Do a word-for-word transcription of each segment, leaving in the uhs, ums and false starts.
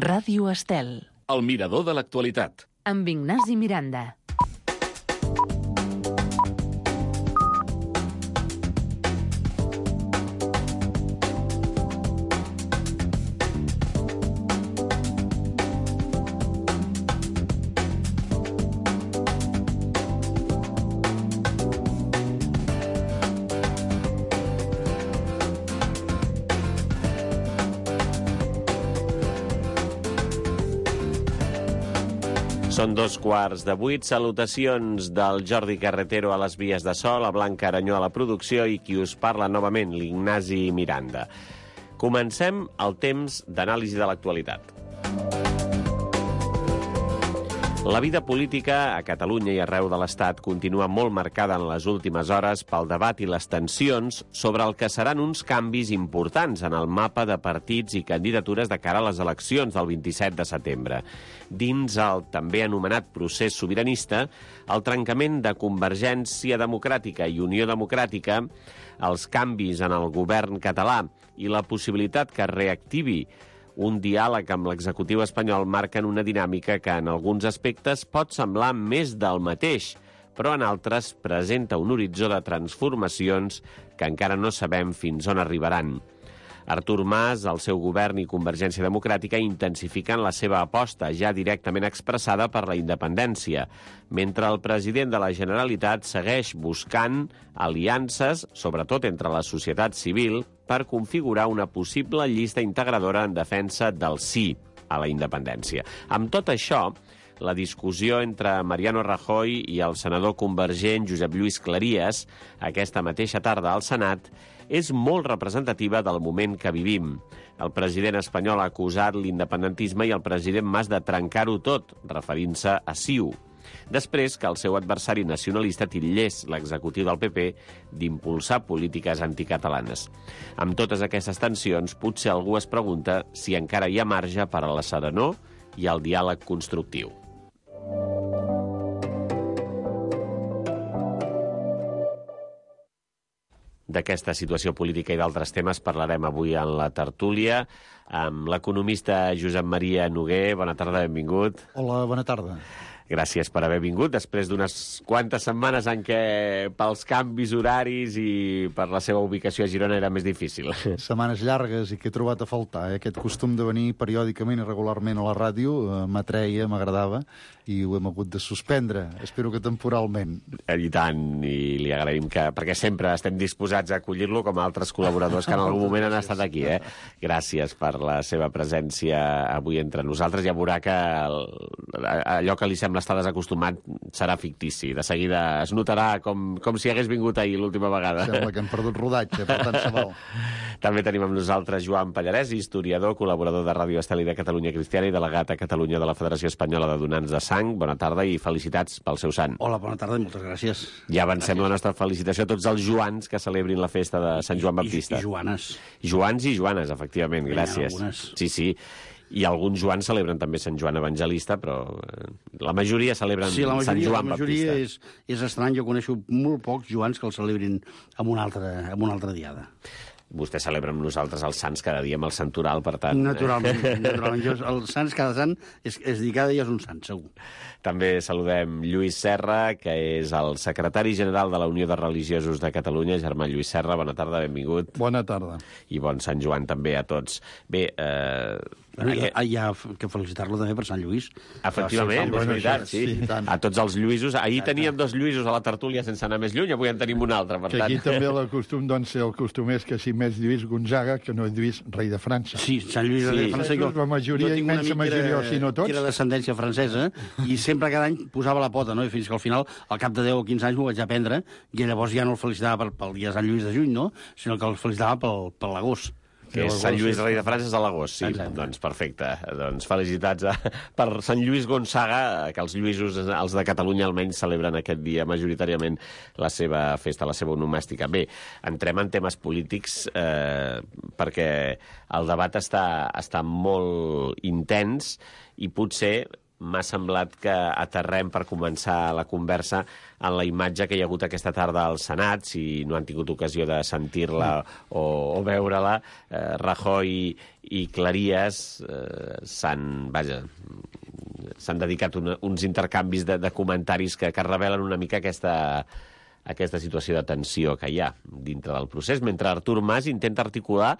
Ràdio Estel. El mirador de l'actualitat. Amb Ignasi Miranda. Són dos quarts de vuit. Salutacions del Jordi Carretero a les vies de so, la Blanca Aranyó a la producció i qui us parla novament, l'Ignasi Miranda. Comencem el temps d'anàlisi de l'actualitat. La vida política a Catalunya i arreu de l'Estat continua molt marcada en les últimes hores pel debat i les tensions sobre el que seran uns canvis importants en el mapa de partits i candidatures de cara a les eleccions del vint-i-set de setembre. Dins el també anomenat procés sobiranista, el trencament de Convergència Democràtica i Unió Democràtica, els canvis en el govern català i la possibilitat que es reactivi un diàleg amb l'executiu espanyol marquen una dinàmica que en alguns aspectes pot semblar més del mateix, però en altres presenta un horitzó de transformacions que encara no sabem fins on arribaran. Artur Mas, el seu govern i Convergència Democràtica intensifiquen la seva aposta, ja directament expressada per la independència, mentre el president de la Generalitat segueix buscant aliances, sobretot entre la societat civil, per configurar una possible llista integradora en defensa del sí a la independència. Amb tot això, la discussió entre Mariano Rajoy i el senador convergent Josep Lluís Cleries, aquesta mateixa tarda al Senat, és molt representativa del moment que vivim. El president espanyol ha acusat l'independentisme i el president Mas de trencar-ho tot, referint-se a C I U. després que el seu adversari nacionalista titllés l'executiu del P P d'impulsar polítiques anticatalanes. Amb totes aquestes tensions, potser algú es pregunta si encara hi ha marge per a la serenor i el diàleg constructiu. D'aquesta situació política i d'altres temes parlarem avui en la tertúlia amb l'economista Josep Maria Noguer. Bona tarda, benvingut. Hola, bona tarda. Gràcies per haver vingut, després d'unes quantes setmanes en què pels canvis horaris i per la seva ubicació a Girona era més difícil. Setmanes llargues i que he trobat a faltar. Eh? Aquest costum de venir periòdicament i regularment a la ràdio eh, m'atreia, m'agradava, i ho hem hagut de suspendre. Espero que temporalment. I tant, i li agraïm que... perquè sempre estem disposats a acollir-lo com a altres col·laboradors que en algun moment han estat aquí. Eh? Gràcies per la seva presència avui entre nosaltres. Ja veurà que el, allò que li sembla estar desacostumat serà fictici. De seguida es notarà com, com si hagués vingut ahir l'última vegada. Sembla que hem perdut rodatge, per tant se val. També tenim amb nosaltres Joan Pallarès, historiador, col·laborador de Ràdio Estel i de Catalunya Cristiana i delegat a Catalunya de la Federació Espanyola de Donants de Sang. Bona tarda i felicitats pel seu sant. Hola, bona tarda i moltes gràcies. Ja avancem gràcies. La nostra felicitació a tots els Joans que celebrin la festa de Sant Joan Baptista. I, i Joanes. Joans i Joanes, efectivament, gràcies. Sí, sí. I alguns Joans celebren també Sant Joan Evangelista, però la majoria celebren sí, la majoria, Sant Joan la majoria Baptista. És, és estrany, jo coneixo molt pocs Joans que el celebrin amb una altra, amb una altra diada. Vostè celebra amb nosaltres els Sants cada dia amb el Santoral, per tant... Naturalment, naturalment. Jo, el Sants, cada sant, és, és dir, cada dia és un sant, segur. També saludem Lluís Serra, que és el secretari general de la Unió de Religiosos de Catalunya. Germà Lluís Serra, bona tarda, benvingut. Bona tarda. I bon Sant Joan també a tots. Bé, eh... Bueno, hi, ha, hi ha que felicitar-lo també per Sant Lluís. Efectivament, és veritat, sí. sí a tots els Lluïsos. Ahir teníem dos Lluïsos a la tertúlia sense anar més lluny, avui en tenim un altre, per que tant... aquí també el costum, doncs, el costum és que si més Lluís Gonzaga que no és Lluís rei de França. Sí, Sant Lluís sí. rei de França. Jo, la majoria, immensa majoria, o si no tots... Que era descendència francesa, i sempre cada any posava la pota, no? I fins que al final, al cap de deu o quinze anys, m'ho vaig aprendre, i llavors ja no el felicitava pel, pel dia de Sant Lluís de juny, no? Sinó que el felicitava pel, per l'agost. Que és Sant Lluís, rei de França, és a l'agost, sí. Exacte. Doncs perfecte. Doncs felicitats a, per Sant Lluís Gonzaga, que els Lluïsos, els de Catalunya, almenys celebren aquest dia majoritàriament la seva festa, la seva onomàstica. Bé, entrem en temes polítics eh, perquè el debat està, està molt intens i potser m'ha semblat que aterrem per començar la conversa en la imatge que hi ha hagut aquesta tarda al Senat, si no han tingut ocasió de sentir-la o, o veure-la. Eh, Rajoy i Cleries eh, s'han, vaja, s'han dedicat una, uns intercanvis de, de comentaris que, que revelen una mica aquesta, aquesta situació de tensió que hi ha dintre del procés, mentre Artur Mas intenta articular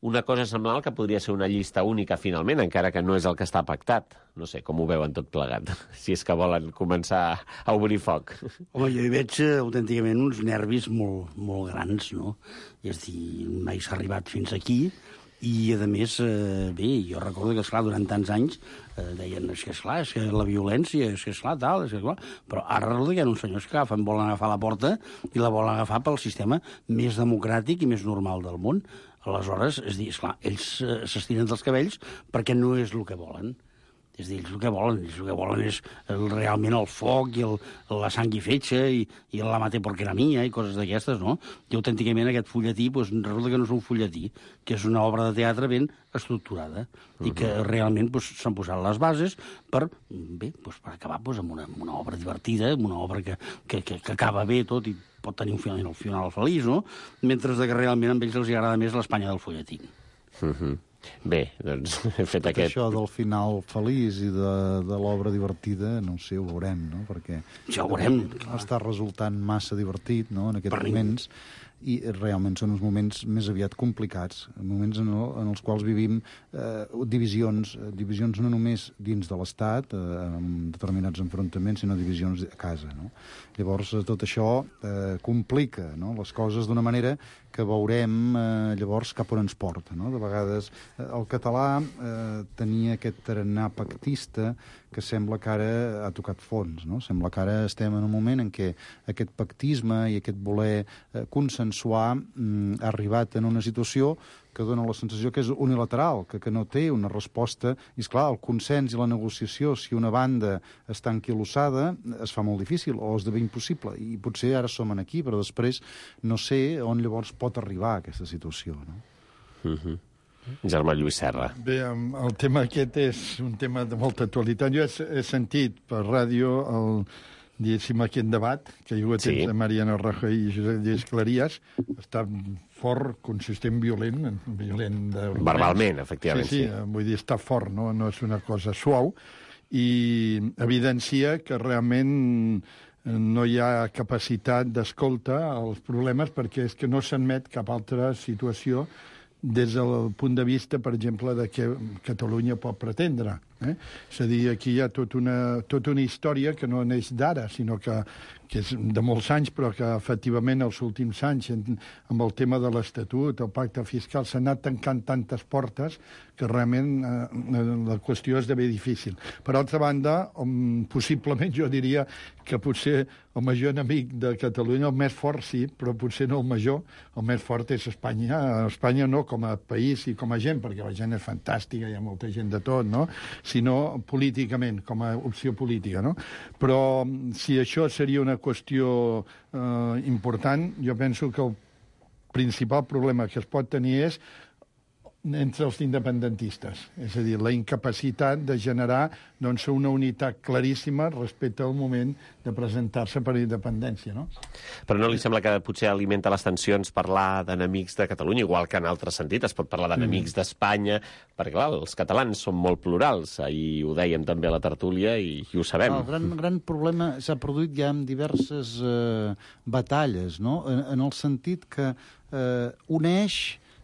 una cosa semblant que podria ser una llista única, finalment, encara que no és el que està pactat. No sé, com ho veuen tot plegat, si és que volen començar a obrir foc. Home, jo hi veig eh, autènticament uns nervis molt, molt grans, no? És a dir, mai s'ha arribat fins aquí, i, a més, eh, bé, jo recordo que, esclar, durant tants anys eh, deien, és que, esclar, és que la violència, és que, esclar, tal, és que, clar... Però ara resulta que hi ha uns senyors que agafen, volen agafar la porta i la volen agafar pel sistema més democràtic i més normal del món. Aleshores, és dir, esclar, ells eh, s'estiren dels cabells perquè no és el que volen. És dir, ells el que volen, ells el que volen és el, realment el foc i el, la sang i fetge i, i la mate porque era mia i coses d'aquestes, no? I autènticament aquest fulletí, doncs, resulta que no és un fulletí, que és una obra de teatre ben estructurada uh-huh. i que realment doncs, s'han posat les bases per, bé, doncs, per acabar doncs, amb, una, amb una obra divertida, amb una obra que, que, que, que acaba bé tot i pot tenir un final, un final feliç, no? Mentre que realment a ells els agrada més l'Espanya del fulletí. Uh-huh. Bé, doncs, he fet Tot aquest... això del final feliç i de, de l'obra divertida, no ho sé, ho veurem, no? Perquè ja ho veurem. Està resultant massa divertit, no?, en aquests per moments, i realment són uns moments més aviat complicats, moments en, el, en els quals vivim eh, divisions, divisions no només dins de l'Estat, eh, amb determinats enfrontaments, sinó divisions a casa, no? Llavors, tot això eh, complica, no?, les coses d'una manera que veurem eh, llavors cap on ens porta, no? De vegades el català eh, tenia aquest tarannà pactista que sembla que ara ha tocat fons, no? Sembla que ara estem en un moment en què aquest pactisme i aquest voler eh, consensuar mm, ha arribat en una situació que dona la sensació que és unilateral, que, que no té una resposta. I, esclar, el consens i la negociació, si una banda està enquilossada, es fa molt difícil o esdevé impossible. I potser ara som aquí, però després no sé on llavors pot arribar aquesta situació, no? Mm-hmm. Germà Lluís Serra. Bé, el tema aquest és un tema de molta actualitat. Jo he, he sentit per ràdio el, diguéssim, aquest debat que hi ha hagut sí. entre Mariano Rajoy i Josep Lluís Cleries. Està fort, consistent, violent, violent de... Verbalment, efectivament, sí. Sí, sí, vull dir, està fort, no, no és una cosa suau, i evidencia que realment no hi ha capacitat d'escolta als problemes perquè és que no s'admet cap altra situació des del punt de vista, per exemple, de què Catalunya pot pretendre. Eh? És a dir, aquí hi ha tota una, tota una història que no neix d'ara, sinó que, que és de molts anys, però que efectivament els últims anys, amb el tema de l'Estatut, el pacte fiscal, s'han anat tancant tantes portes que realment eh, la qüestió esdevé difícil. Per altra banda, um, possiblement jo diria que potser el major enemic de Catalunya, el més fort sí, però potser no el major, el més fort és Espanya. Espanya no com a país i com a gent, perquè la gent és fantàstica, hi ha molta gent de tot, no?, sinó políticament, com a opció política, no? Però si això seria una qüestió eh, important, jo penso que el principal problema que es pot tenir és entre els independentistes. És a dir, la incapacitat de generar doncs, una unitat claríssima respecte al moment de presentar-se per independència, no? Però no li sembla que potser alimenta les tensions parlar d'enemics de Catalunya, igual que en altre sentit es pot parlar d'enemics mm. d'Espanya, perquè, clar, els catalans són molt plurals. Ahir ho dèiem també a la tertúlia i, i ho sabem. El gran, gran problema s'ha produït ja en diverses eh, batalles, no? En, en el sentit que eh, uneix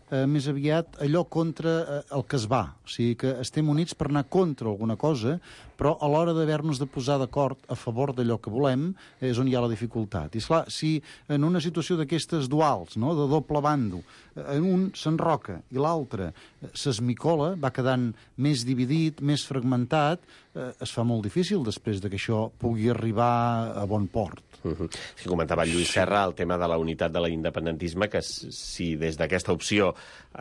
Eh, més aviat allò contra eh, el que es va. O sigui que estem units per anar contra alguna cosa, però a l'hora d'haver-nos de posar d'acord a favor d'allò que volem és on hi ha la dificultat. I esclar, si en una situació d'aquestes duals, no?, de doble bando, en un s'enroca i l'altre s'esmicola, va quedant més dividit, més fragmentat, eh, es fa molt difícil després de que això pugui arribar a bon port. Uh-huh. Sí, comentava Lluís Serra el tema de la unitat de l'independentisme, que si des d'aquesta opció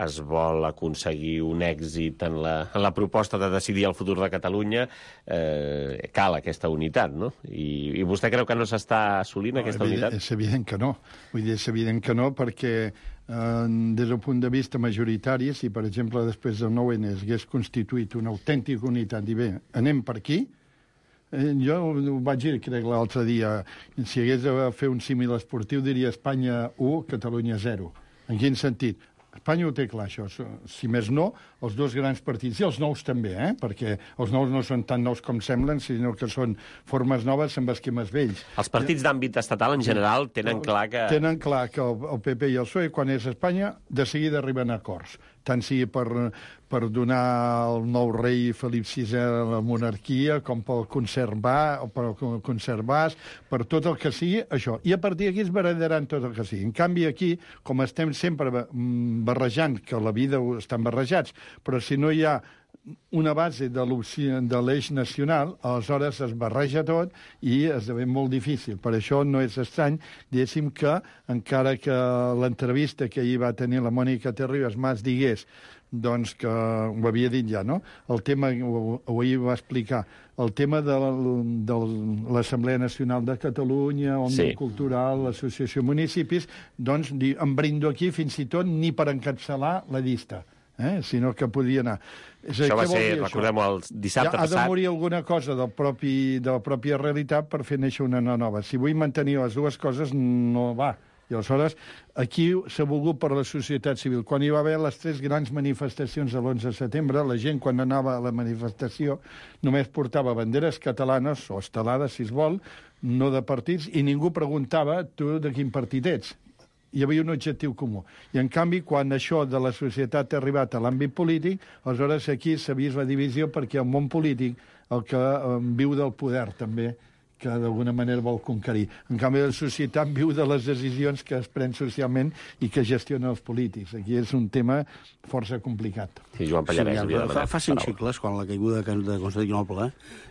es vol aconseguir un èxit en la, en la proposta de decidir el futur de Catalunya, eh, cal aquesta unitat, no? I, i vostè creu que no s'està assolint no, aquesta evident, unitat? És evident que no. Vull dir, és evident que no, perquè eh, des del punt de vista majoritari, si, per exemple, després del nou ene es hagués constituït una autèntica unitat i bé, anem per aquí, Eh, jo ho vaig dir, crec, l'altre dia, si hagués de fer un símil esportiu, diria Espanya u, Catalunya zero. En quin sentit? Espanya ho té clar, això. Si més no, els dos grans partits, i els nous també, eh? perquè els nous no són tan nous com semblen, sinó que són formes noves amb esquemes vells. Els partits d'àmbit estatal, en general, tenen clar que... Tenen clar que el, el pe pe i el psoe, quan és Espanya, de seguida arriben a acords. Tant sigui per, per donar al nou rei Felip sisè la monarquia, com pel conservar, o per conservar, per tot el que sigui, això. I a partir d'aquí es barrejaran tot el que sigui. En canvi, aquí, com estem sempre barrejant, que la vida estan barrejats, però si no hi ha una base de l'eix nacional, aleshores es barreja tot i esdevé molt difícil. Per això no és estrany, diguéssim que, encara que l'entrevista que ahir va tenir la Mònica Terribas Mas digués doncs que ho havia dit ja, no? El tema, ho, ho ahir va explicar, el tema de, de l'Assemblea Nacional de Catalunya, Òmnium sí. Cultural, l'Associació Municipis, doncs em brindo aquí fins i tot ni per encapçalar la llista. Eh? Sinó que podia anar. És això va ser, recordem-ho, el dissabte ja, passat. Ha de morir alguna cosa del propi, de la pròpia realitat per fer néixer una nova. Si vull mantenir les dues coses, no va. I aleshores, aquí s'ha volgut per la societat civil. Quan hi va haver les tres grans manifestacions de l'onze de setembre, la gent, quan anava a la manifestació, només portava banderes catalanes, o estelades, si es vol, no de partits, i ningú preguntava tu de quin partit ets. Hi havia un objectiu comú. I, en canvi, quan això de la societat ha arribat a l'àmbit polític, aleshores aquí s'ha vist la divisió perquè el món polític, el que eh, viu del poder també, que d'alguna manera vol conquerir. En canvi, la societat viu de les decisions que es pren socialment i que gestionen els polítics. Aquí és un tema força complicat. Sí, Joan Pallarès. Sí, ja, fa, fa cinc segles, quan la caiguda de Constantinople,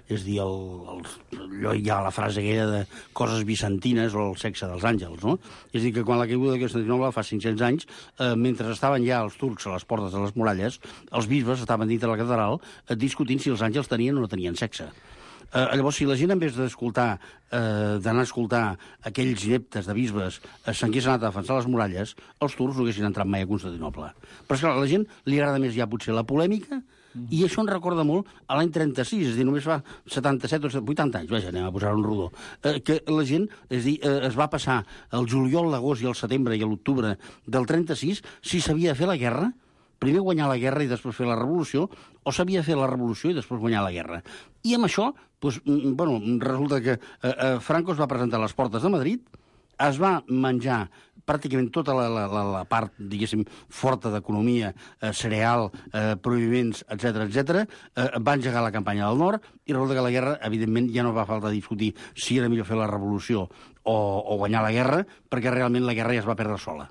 és dir, el, el, allò hi ha la frase aquella de coses bizantines o el sexe dels àngels, no? És dir, que quan la caiguda de Constantinople fa cinc-cents anys, eh, mentre estaven ja els turcs a les portes de les muralles, els bisbes estaven dintre la catedral eh, discutint si els àngels tenien o no tenien sexe. Eh, llavors, si la gent, en vez d'escoltar, eh, d'anar a escoltar aquells ineptes de bisbes, eh, s'hagués anat a defensar les muralles, els turcs no haguessin entrat mai a Constantinople. Però, esclar, a la gent li agrada més ja potser la polèmica, i això em recorda molt a l'any trenta-sis, és a dir, només fa setanta-set o vuitanta anys, vaja, anem a posar un rodó, eh, que la gent, és a dir, eh, es va passar el juliol, l'agost i el setembre i l'octubre del trenta-sis, si s'havia de fer la guerra, primer guanyar la guerra i després fer la revolució, o s'havia de fer la revolució i després guanyar la guerra. I amb això, doncs, bueno, resulta que eh, eh, Franco es va presentar a les portes de Madrid, es va menjar pràcticament tota la, la, la, la part, diguéssim, forta d'economia, eh, cereal, eh, prohibiments, etcètera, etcètera, eh, va engegar la campanya del nord, i resulta que la guerra, evidentment, ja no va falta discutir si era millor fer la revolució o, o guanyar la guerra, perquè realment la guerra ja es va perdre sola.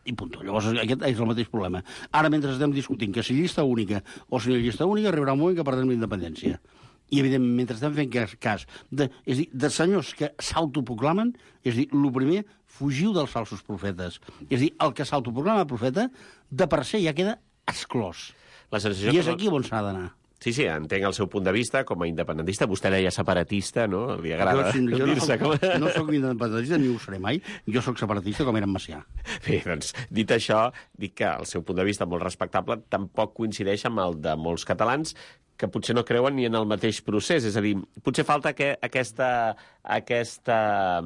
I punt. Llavors, aquest és el mateix problema. Ara, mentre estem discutint que si llista única o si no llista única, arribarà un moment que perdrem la independència. I, evidentment, mentre estem fent cas, cas de, és dir, de senyors que s'autoproclamen, és dir, el primer, fugiu dels falsos profetes. És dir, el que s'autoproclama profeta, de per se ja queda exclòs. La sensació I és que... aquí on s'ha d'anar. Sí, sí, entenc el seu punt de vista com a independentista. Vostè deia separatista, no? Li agrada jo, jo dir-se no, com... no soc independentista ni ho seré mai. Jo sóc separatista com era en Macià. Bé, doncs, dit això, dic que el seu punt de vista molt respectable tampoc coincideix amb el de molts catalans que potser no creuen ni en el mateix procés. És a dir, potser falta que aquesta, aquesta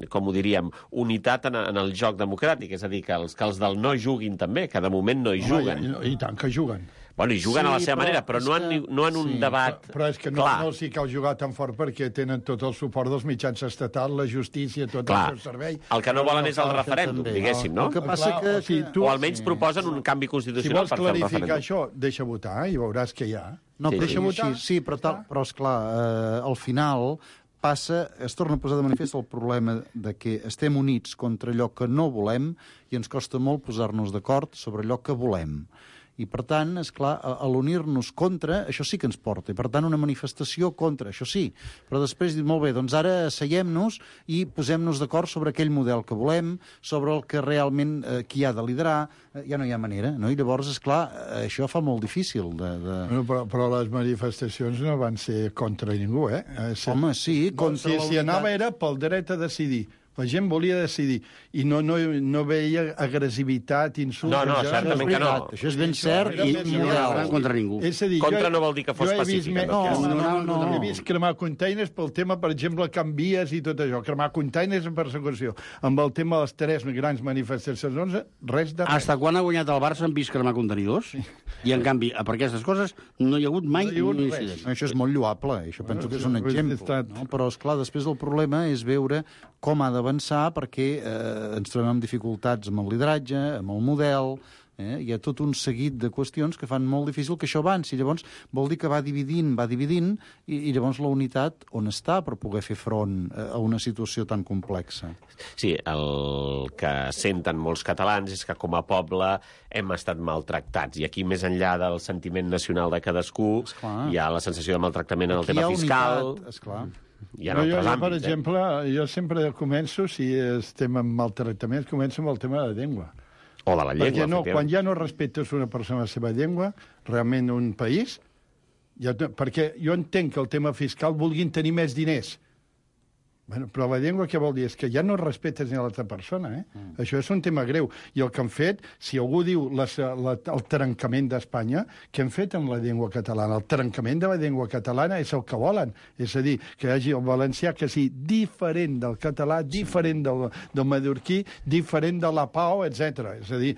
com ho diríem, unitat en, en el joc democràtic. És a dir, que els, que els del no juguin també, que de moment no hi juguen. Home, i, I tant que juguen. Bueno, i juguen Sí, a la seva però manera, però no en, que- no en un sí, debat Però, però és que no, clar. no els hi cal jugar tan fort perquè tenen tot el suport dels mitjans estatals, la justícia, tot Clar. el seu servei. El que no volen és el cal- referèndum, també. diguéssim, no? El que passa Clar, que... o sigui, que- tu- O almenys proposen un canvi Si constitucional vols per fer el clarificar referèndum. això, deixa votar i veuràs que hi ha. No, Sí, però deixa sí, votar. sí, sí, però, tal, però esclar, eh, al final passa, es torna a posar de manifest el problema de que estem units contra allò que no volem i ens costa molt posar-nos d'acord sobre allò que volem. I, per tant, és clar, a, a l'unir-nos contra, això sí que ens porta. I, per tant, una manifestació contra, això sí. Però després dir, molt bé, doncs ara asseiem-nos i posem-nos d'acord sobre aquell model que volem, sobre el que realment eh, qui ha de liderar, eh, ja no hi ha manera, no? I llavors, és clar, eh, això fa molt difícil de... de... Bueno, però, però les manifestacions no van ser contra ningú, eh? eh si, Home, sí, contra si, la si unitat. anava era pel dret a decidir. La gent volia decidir i no, no, no veia agressivitat, insults... No, no, en general. certament que no. Això és ben cert Era i més No model. anaven contra ningú. És a dir, Contra jo, no vol dir que fos jo he vist pacífica, me- no? No, no, No, no, no, no. he vist cremar containers pel tema, per exemple, canvies i tot això. Cremar containers en persecució. Amb el tema de les tres grans manifestacions, res de res. Hasta quan ha guanyat el Barça han vist cremar contenidors? I, en canvi, per aquestes coses no hi ha hagut mai No hi ha hagut un res. incident. Això és molt lloable, això penso que és un això és exemple. estat- No? Però, esclar, després el problema és veure com ha d'avançar perquè eh, ens trobem amb dificultats amb el lideratge, amb el model... Eh? Hi ha tot un seguit de qüestions que fan molt difícil que això avanci. Llavors, vol dir que va dividint, va dividint, i, i llavors la unitat on està per poder fer front eh, a una situació tan complexa? Sí, el que senten molts catalans és que com a poble hem estat maltractats. I aquí, més enllà del sentiment nacional de cadascú, Esclar. hi ha la sensació de maltractament en el Aquí hi tema ha fiscal. unitat, esclar. Hi ha No, altres jo, jo, per àmbits, eh? exemple, jo sempre començo, si estem en maltractaments, començo amb el tema de la llengua. O de la llengua, Perquè no, efectivament. quan ja no respectes una persona la seva llengua, realment un país, ja, no- perquè jo entenc que el tema fiscal vulguin tenir més diners. Bueno, però la llengua què vol dir? És que ja no respectes ni a l'altra persona, eh? Mm. Això és un tema greu. I el que han fet, si algú diu la, la, el trencament d'Espanya, què han fet amb la llengua catalana? El trencament de la llengua catalana és el que volen. És a dir, que hi hagi el valencià que sigui diferent del català, diferent del, del mallorquí, diferent de la pau, etcètera. És a dir,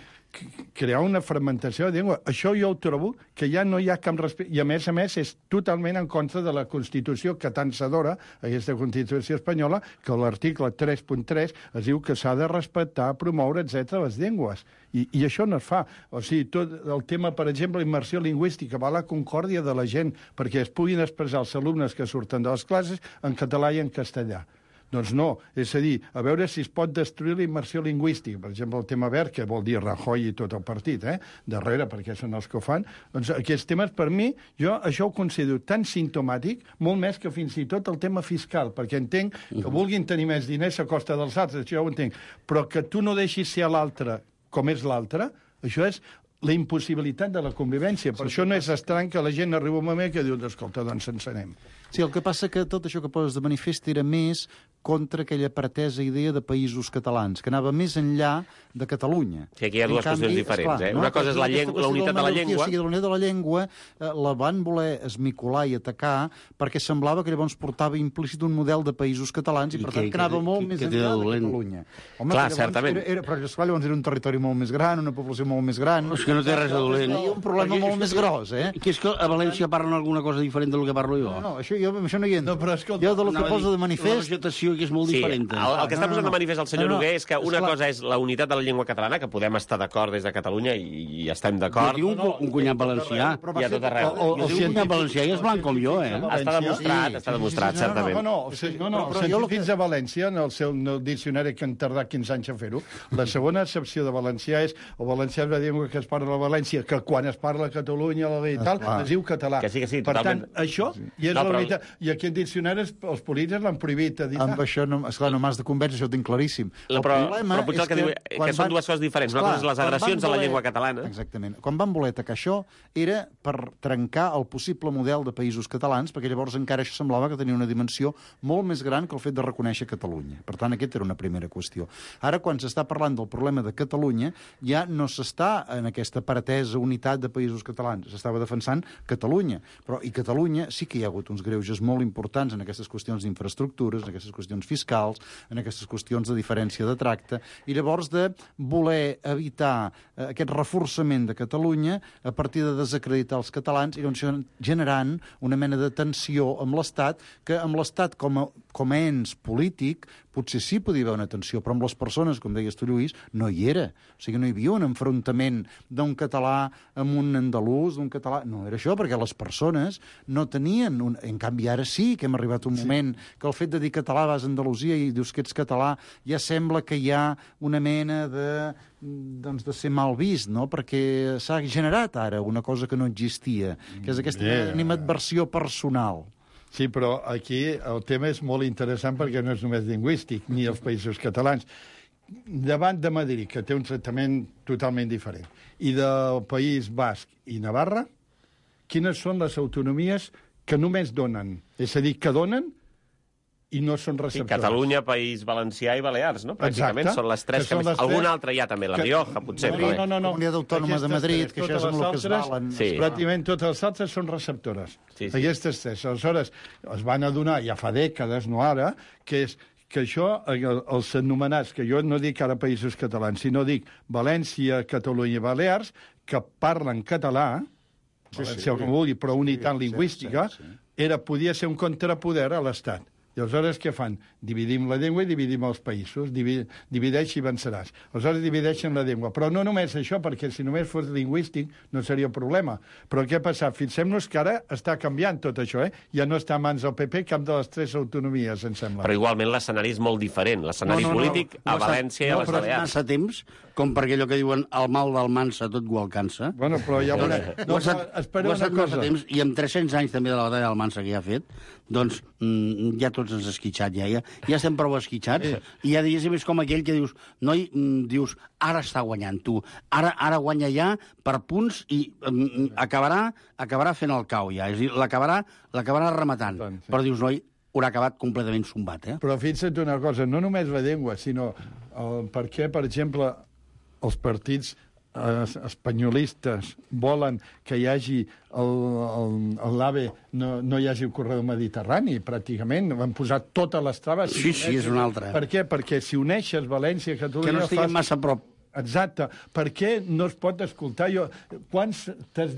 crear una fragmentació de llengua. Això jo ho trobo que ja no hi ha cap respecte. I, a més a més, és totalment en contra de la Constitució que tant s'adora, aquesta Constitució espanyola, que l'article tres punt tres es diu que s'ha de respectar, promoure, etcètera les llengües. I, I això no es fa. O sigui, tot el tema, per exemple, immersió lingüística, va a la concòrdia de la gent perquè es puguin expressar els alumnes que surten de les classes en català i en castellà. Doncs no, és a dir, a veure si es pot destruir la immersió lingüística. Per exemple, el tema verd, que vol dir Rajoy i tot el partit, eh? darrere, perquè són els que ho fan. Doncs aquests temes, per mi, jo això ho considero tan simptomàtic, molt més que fins i tot el tema fiscal, perquè entenc que vulguin tenir més diners a costa dels altres, això ja ho entenc, però que tu no deixis ser a l'altre com és l'altre, això és la impossibilitat de la convivència. Per això no és estrany que la gent arriba un moment que diu, escolta, doncs ens anem. Sí, el que passa que tot això que poses de manifest era més contra aquella pretesa idea de països catalans, que anava més enllà de Catalunya. Sí, aquí hi ha dues qüestions diferents. Eh? Una cosa és la, llengua, la unitat de la llengua... O sigui, la unitat de la llengua eh, la van voler esmicolar i atacar perquè semblava que llavors portava implícit un model de països catalans i, I per tant, que, que anava que, molt que, més que enllà de Catalunya. Home, clar, certament. Era, era, però esclar, llavors era un territori molt més gran, una població molt més gran... És que no té res de dolent. Hi ha un problema perquè, molt més gros, eh? Que és que a València parlen alguna cosa diferent del que parlo jo. No, no, això, jo, això no hi entro. No, però escolta, jo de lo que no, posa de manifest... La vegetació que és molt sí, diferent. El, el que està posant de manifest el senyor no, no, Noguer és que una esclar. cosa és la unitat de la llengua catalana, que podem estar d'acord des de Catalunya i, i estem d'acord. Jo tinc un, un cunyat valencià. I a tot arreu. O, o, jo tinc un cunyat valencià i és blanc com jo, eh? Està demostrat, està demostrat, certament. No, no, no, no, no, els científics de València, en el seu diccionari que han tardat quinze anys a fer-ho, la segona accepció de valencià és o valencià és la llengua que es parla a València, que quan es parla a Catalunya i tal, es diu català. Que sí, que sí, per totalment. tant, això i és no, la però... unitat. I aquest diccionari els polítics l'han prohibit. Amb això, no, esclar, no m'has de convèncer, això ho tinc claríssim. La, però, però potser el que, que diu que són van... dues coses diferents. Una cosa és les agressions a la llengua catalana. Exactament. Quan van voler atacar això era per trencar el possible model de països catalans, perquè llavors encara això semblava que tenia una dimensió molt més gran que el fet de reconèixer Catalunya. Per tant, aquesta era una primera qüestió. Ara, quan s'està parlant del problema de Catalunya, ja no s'està en aquesta pretesa unitat de països catalans. S'estava defensant Catalunya. Però, i Catalunya sí que hi ha hagut uns greuges molt importants en aquestes qüestions d'infraestructures, en aquestes qüestions fiscals, en aquestes qüestions de diferència de tracte, i llavors de voler evitar eh, aquest reforçament de Catalunya a partir de desacreditar els catalans i doncs generant una mena de tensió amb l'Estat, que amb l'Estat com a, com a ens polític potser sí podia haver una tensió, però amb les persones, com deies tu, Lluís, no hi era. O sigui, no hi havia un enfrontament d'un català amb un andalús, d'un català... No era això, perquè les persones no tenien... Un... En canvi, ara sí que hem arribat a un sí. moment que el fet de dir català vas a Andalusia i dius que ets català ja sembla que hi ha una mena de... doncs de ser mal vist, no? Perquè s'ha generat ara una cosa que no existia, que és aquesta yeah. animadversió personal. Sí, però aquí el tema és molt interessant perquè no és només lingüístic, ni els països catalans. Davant de Madrid, que té un tractament totalment diferent, i del País Basc i Navarra, quines són les autonomies que només donen? És a dir, que donen i no són receptors. Sí, Catalunya, País Valencià i Balears, no? Pràcticament Exacte. són les tres que, que més... Algun tres... altre hi ha també, la que... Rioja, potser. No, no, no, no. Comunitat Autònoma de Madrid, que això és amb el que es valen. Sí. Pràcticament totes les altres són receptores. Sí, sí. Aquestes tres. Aleshores, es van adonar, ja fa dècades, no ara, que és que això, els anomenats, que jo no dic ara països catalans, sinó dic València, Catalunya i Balears, que parlen català, sí, València sí, com vulgui, però unitat sí, lingüística, sí, sí. Era, podia ser un contrapoder a l'Estat. I aleshores què fan? Dividim la llengua i dividim els països. Divi, divideix i venceràs. Aleshores divideixen la llengua. Però no només això, perquè si només fos lingüístic no seria problema. Però què ha passat? Fixem-nos que ara està canviant tot això, eh? Ja no està a mans del P P cap de les tres autonomies, em sembla. Però igualment l'escenari és molt diferent. L'escenari no, no, polític no, no, a València no, i a les Balears. No, massa temps, com perquè allò que diuen el mal del mansa tot ho alcança. Bueno, però ja veurem. No, no, espera una cosa. Temps, I amb tres-cents anys també de la batalla del Mansa que ja ha fet, doncs mm, ja tots ens ha esquitxat, ja, ja, ja estem prou esquitxats, eh. I ja diguéssim és com aquell que dius, noi, mm, dius, ara està guanyant tu, ara ara guanya ja per punts i mm, acabarà acabarà fent el cau ja, és a dir, l'acabarà l'acabarà rematant, doncs, sí. Però dius, noi, haurà acabat completament sombat, eh? Però fixa't una cosa, no només la llengua, sinó el, per què, per exemple, els partits espanyolistes volen que hi hagi l'AVE, no, no hi hagi el corredor mediterrani, pràcticament. Van posar totes les traves. Sí, sí, és una altra. Per què? Perquè si uneixes València i Catalunya... Que no estiguem fas... massa a prop. Exacte. Per què no es pot escoltar? Jo, quants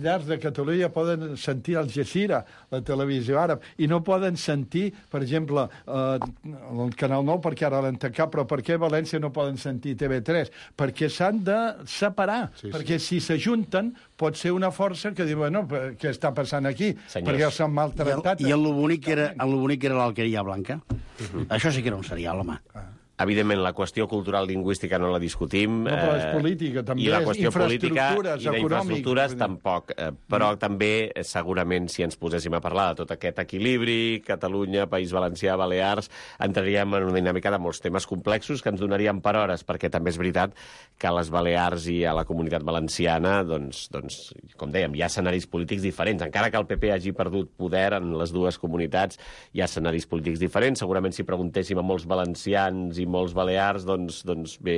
llars de Catalunya poden sentir Al Jazeera, la televisió àrab, i no poden sentir, per exemple, eh, el Canal nou, perquè ara l'han tancat, però per què a València no poden sentir T V tres? Perquè s'han de separar, sí, sí. perquè si s'ajunten pot ser una força que diu, bueno, què està passant aquí? Senyors. Perquè s'han maltractat. I el, i el bonic era, el bonic era l'Alqueria Blanca. Uh-huh. Això sí que era un serial, home. Ah. Evidentment, la qüestió cultural lingüística no la discutim. No, però és política, també. I la qüestió política i d'infraestructures tampoc. Però també, segurament, si ens poséssim a parlar de tot aquest equilibri, Catalunya, País Valencià, Balears, entraríem en una dinàmica de molts temes complexos que ens donaríem per hores, perquè també és veritat que a les Balears i a la Comunitat Valenciana, doncs, doncs com dèiem, hi ha escenaris polítics diferents. Encara que el P P hagi perdut poder en les dues comunitats, hi ha escenaris polítics diferents. Segurament, si preguntéssim a molts valencians i molts balears, doncs, doncs bé,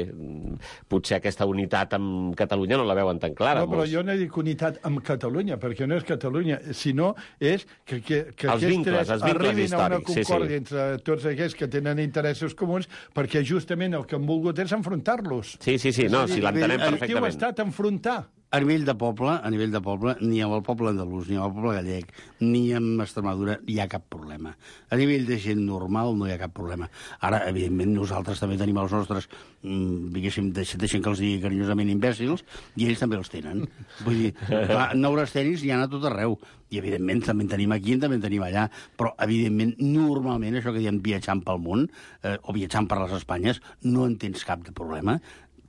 potser aquesta unitat amb Catalunya no la veuen tan clara. No, però molts... jo no dic unitat amb Catalunya, perquè no és Catalunya, sinó és que, que, que els vincles, els vincles arribin històrics, a una concòrdia sí, sí. entre tots aquells que tenen interessos comuns, perquè justament el que han volgut és enfrontar-los. Sí, sí, sí, no, si l'entenem perfectament. El que ha estat enfrontar. A nivell de poble, a nivell de poble, ni amb el poble andalús, ni amb el poble gallec, ni amb Extremadura hi ha cap problema. A nivell de gent normal no hi ha cap problema. Ara, evidentment, nosaltres també tenim els nostres, mmm, diguéssim, deixen que els digui carinyosament imbècils, i ells també els tenen. Vull dir, clar, neurastènics hi ha a tot arreu. I, evidentment, també en tenim aquí i també en tenim allà. Però, evidentment, normalment, això que diem viatjant pel món, eh, o viatjant per les Espanyes, no en tens cap de problema,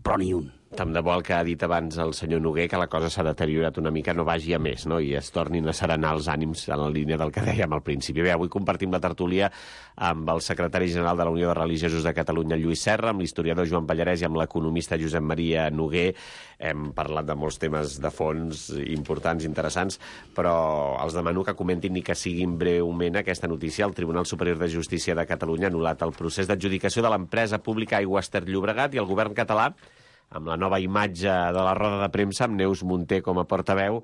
però ni un. Tant de bo el que ha dit abans el senyor Noguer, que la cosa s'ha deteriorat una mica, no vagi a més, no? I es tornin a serenar els ànims en la línia del que dèiem al principi. Bé, avui compartim la tertúlia amb el secretari general de la Unió de Religiosos de Catalunya, Lluís Serra, amb l'historiador Joan Pallarès i amb l'economista Josep Maria Noguer. Hem parlat de molts temes de fons importants, interessants, però els demano que comentin ni que siguin breument aquesta notícia. El Tribunal Superior de Justícia de Catalunya ha anul·lat el procés d'adjudicació de l'empresa pública Aigües Ter Llobregat, i el govern català, amb la nova imatge de la roda de premsa, amb Neus Munté com a portaveu,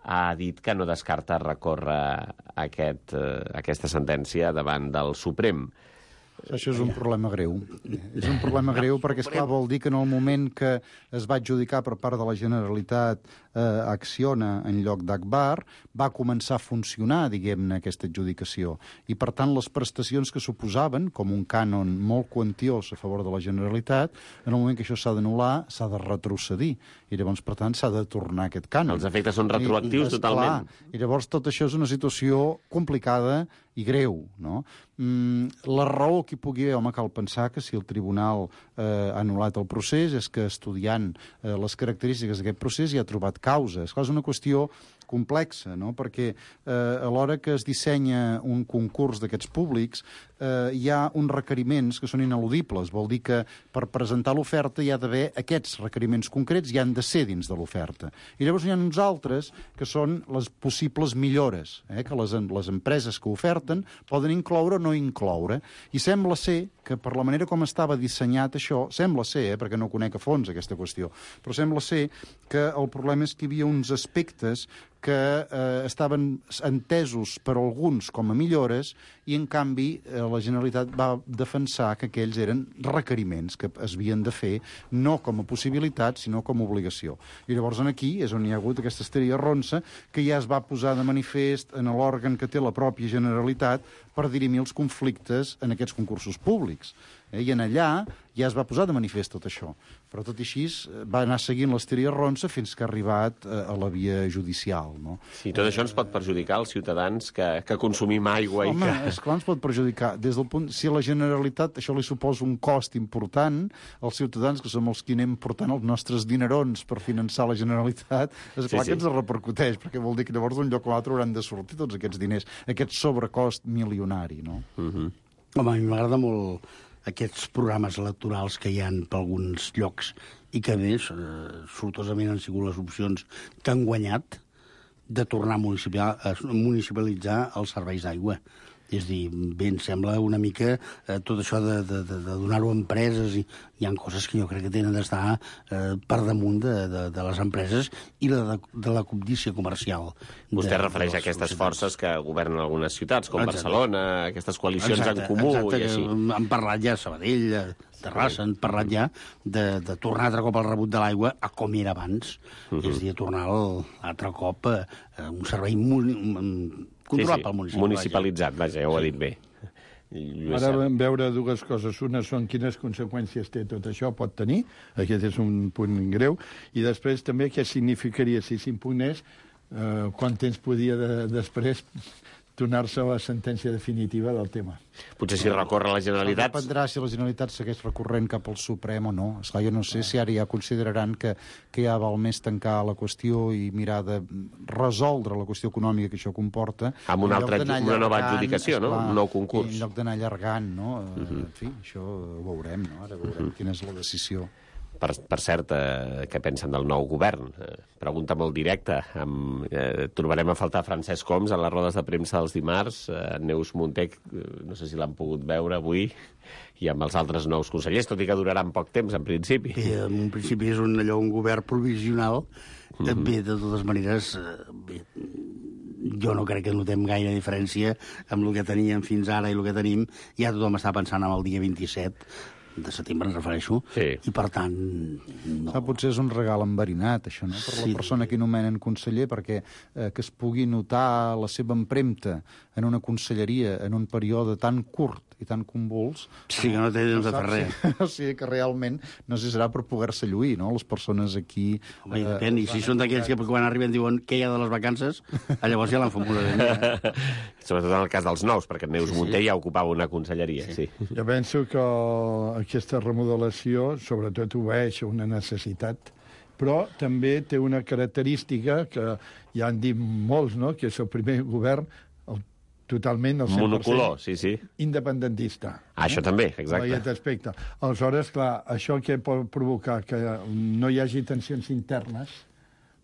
ha dit que no descarta recórrer aquest, eh, aquesta sentència davant del Suprem. Això és un problema greu. És un problema greu perquè, esclar, vol dir que en el moment que es va adjudicar per part de la Generalitat eh, Acciona en lloc d'Agbar, va començar a funcionar, diguem-ne, aquesta adjudicació. I, per tant, les prestacions que suposaven, com un cànon molt quantiós a favor de la Generalitat, en el moment que això s'ha d'anul·lar, s'ha de retrocedir. I llavors, per tant, s'ha de tornar aquest cànon. Els efectes són retroactius I, totalment. Clar, I llavors tot això és una situació complicada i greu, no? Mm, la raó que hi pugui haver, home, cal pensar que si el tribunal eh, ha anul·lat el procés és que, estudiant eh, les característiques d'aquest procés, hi ha trobat causes. És una qüestió complexa, no? Perquè eh, a l'hora que es dissenya un concurs d'aquests públics eh, hi ha uns requeriments que són ineludibles. Vol dir que per presentar l'oferta hi ha d'haver aquests requeriments concrets i han de ser dins de l'oferta. I llavors hi ha uns altres que són les possibles millores, eh, que les, les empreses que oferten poden incloure o no incloure. I sembla ser que per la manera com estava dissenyat això, sembla ser, eh, perquè no conec a fons aquesta qüestió, però sembla ser que el problema és que hi havia uns aspectes que eh, estaven entesos per alguns com a millores i, en canvi, eh, la Generalitat va defensar que aquells eren requeriments que es havien de fer no com a possibilitat, sinó com a obligació. I llavors aquí és on hi ha hagut aquesta esteria ronça que ja es va posar de manifest en l'òrgan que té la pròpia Generalitat per dirimir els conflictes en aquests concursos públics. Eh? I en allà ja es va posar de manifest tot això. Però tot i així va anar seguint l'esteria ronça fins que ha arribat a la via judicial. No? Sí, tot això ens pot perjudicar als ciutadans que, que consumim aigua. Home, i que... esclar, ens pot perjudicar. Des del punt, si a la Generalitat això li suposa un cost important, els ciutadans, que som els que anem portant els nostres dinerons per finançar la Generalitat, és clar sí, sí. que ens repercuteix, perquè vol dir que llavors d'un lloc a l'altre hauran de sortir tots aquests diners, aquest sobrecost milionari. No? Uh-huh. Home, a mi m'agrada molt aquests programes electorals que hi ha per alguns llocs i que, a més, eh, sortosament han sigut les opcions que han guanyat de tornar a municipalitzar els serveis d'aigua. És a dir, bé, em sembla una mica eh, tot això de, de, de, de donar-ho a empreses, i hi ha coses que jo crec que tenen d'estar eh, per damunt de, de, de les empreses i de, de la cobdícia comercial. Vostè de, refereix de a aquestes societats. forces que governen algunes ciutats, com Exacte. Barcelona, aquestes coalicions Exacte, en comú exacte, i així. que han parlat ja a Sabadell, a Terrassa, han parlat ja de, de tornar altre cop al rebut de l'aigua a com era abans. Uh -huh. És a dir, a tornar al, altre cop a, a un servei muni, controlat sí, sí, pel municipi. municipalitzat, vaja, ja ho ha dit bé. Ara vam veure dues coses. Una són quines conseqüències té tot això, pot tenir, aquest és un punt greu, i després també què significaria si s'impugnés, eh, quant temps podia de, després donar-se la sentència definitiva del tema. Potser si recorre la Generalitat... Dependrà si la Generalitat segueix recorrent cap al Suprem o no. Esclar, jo no sé si ara ja consideraran que, que ja val més tancar la qüestió i mirar de resoldre la qüestió econòmica que això comporta. Amb una, altra, una nova allargant, adjudicació, no? esclar, Un nou concurs. En lloc d'anar allargant, no? Uh Mhm. -huh. En fi, això ho veurem, no? Ara veurem uh -huh. quina és la decisió. Per, per cert, eh, què pensen del nou govern? Eh, pregunta molt directa. Amb, eh, trobarem a faltar Francesc Homs a les rodes de premsa dels dimarts, eh, Neus Munté, eh, no sé si l'han pogut veure avui, i amb els altres nous consellers, tot i que duraran poc temps, en principi. Bé, en principi és un, allò, un govern provisional. Mm-hmm. Bé, de totes maneres, eh, bé, jo no crec que notem gaire diferència amb el que teníem fins ara i el que tenim. Ja tothom està pensant en el dia vint-i-set de setembre, em refereixo, sí. I per tant... No. Ah, potser és un regal enverinat, això, no?, per Sí. la persona que nomenen conseller, perquè eh, que es pugui notar la seva empremta en una conselleria en un període tan curt i tan convuls... Sí, que no té temps de fer res. O sigui que realment no sé si serà per poder-se lluir, no?, les persones aquí... Home, i depèn, i si són d'aquells que quan arriben diuen què hi ha de les vacances, llavors ja l'han fotut ben bé. Eh? Sobretot en el cas dels nous, perquè Neus sí, sí. Munté ja ocupava una conselleria. Sí. Sí. Jo penso que aquesta remodelació sobretot obeeix a una necessitat, però també té una característica que ja han dit molts, no?, que és el primer govern el, totalment el cent per cent monocolor, sí, sí. independentista. Ah, això també, exacte. En aquest aspecte. Aleshores, clar, això què pot provocar? Que no hi hagi tensions internes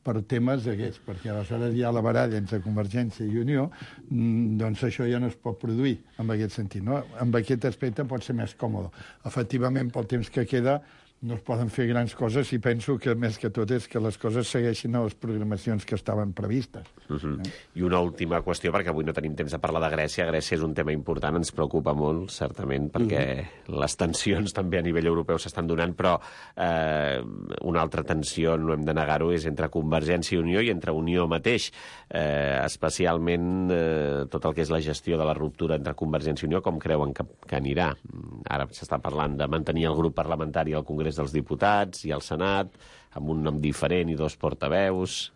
per temes d'aquests, perquè aleshores hi ha la baralla entre Convergència i Unió, doncs això ja no es pot produir en aquest sentit, no? En aquest aspecte pot ser més còmode. Efectivament, pel temps que queda, no es poden fer grans coses i penso que més que tot és que les coses segueixin a les programacions que estaven previstes. Uh -huh. eh? I una última qüestió, perquè avui no tenim temps de parlar de Grècia. Grècia és un tema important, ens preocupa molt, certament, perquè uh -huh. les tensions també a nivell europeu s'estan donant, però eh, una altra tensió, no hem de negar-ho, és entre Convergència i Unió i entre Unió mateix, eh, especialment eh, tot el que és la gestió de la ruptura entre Convergència i Unió, com creuen que, que anirà. Ara s'està parlant de mantenir el grup parlamentari al Congrés dels Diputats i al Senat, amb un nom diferent i dos portaveus.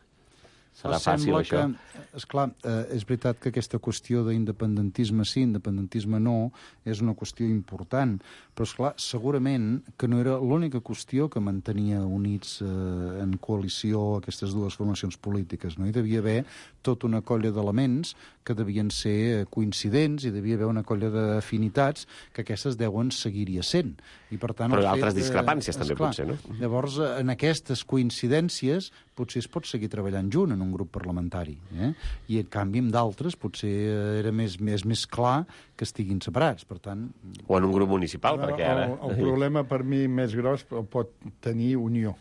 Serà fàcil, això? Que, esclar, eh, és veritat que aquesta qüestió d'independentisme sí, independentisme no, és una qüestió important, però, esclar, segurament que no era l'única qüestió que mantenia units eh, en coalició aquestes dues formacions polítiques, no? Hi devia haver tota una colla d'elements que devien ser coincidents, i devia haver una colla d'afinitats que aquestes deuen seguir-hi essent. I, per tant, però el altres fet, discrepàncies eh, també, esclar, potser, no? Llavors, en aquestes coincidències potser es pot seguir treballant junt en un grup parlamentari, eh? I en canvi amb d'altres potser era més, més, més clar que estiguin separats, per tant... O en un grup municipal, perquè ara... El, el problema per mi més gros el pot tenir Unió,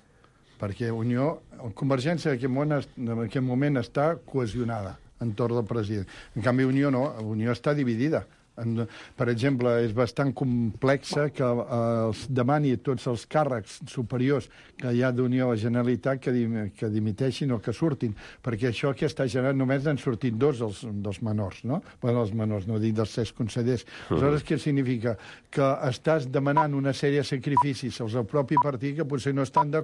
perquè Unió, Convergència en aquest moment, en aquest moment està cohesionada entorn del president. En canvi, Unió no, Unió està dividida. En, per exemple, és bastant complexa que eh, els demani tots els càrrecs superiors que hi ha d'Unió a la Generalitat que, dim, que dimiteixin o que surtin, perquè això que està generant només n'han sortit dos dels, dels menors, no? Bueno, els menors, no dic dels set consellers. Aleshores, què significa? Que estàs demanant una sèrie de sacrificis als del propi partit que potser no estan d'acord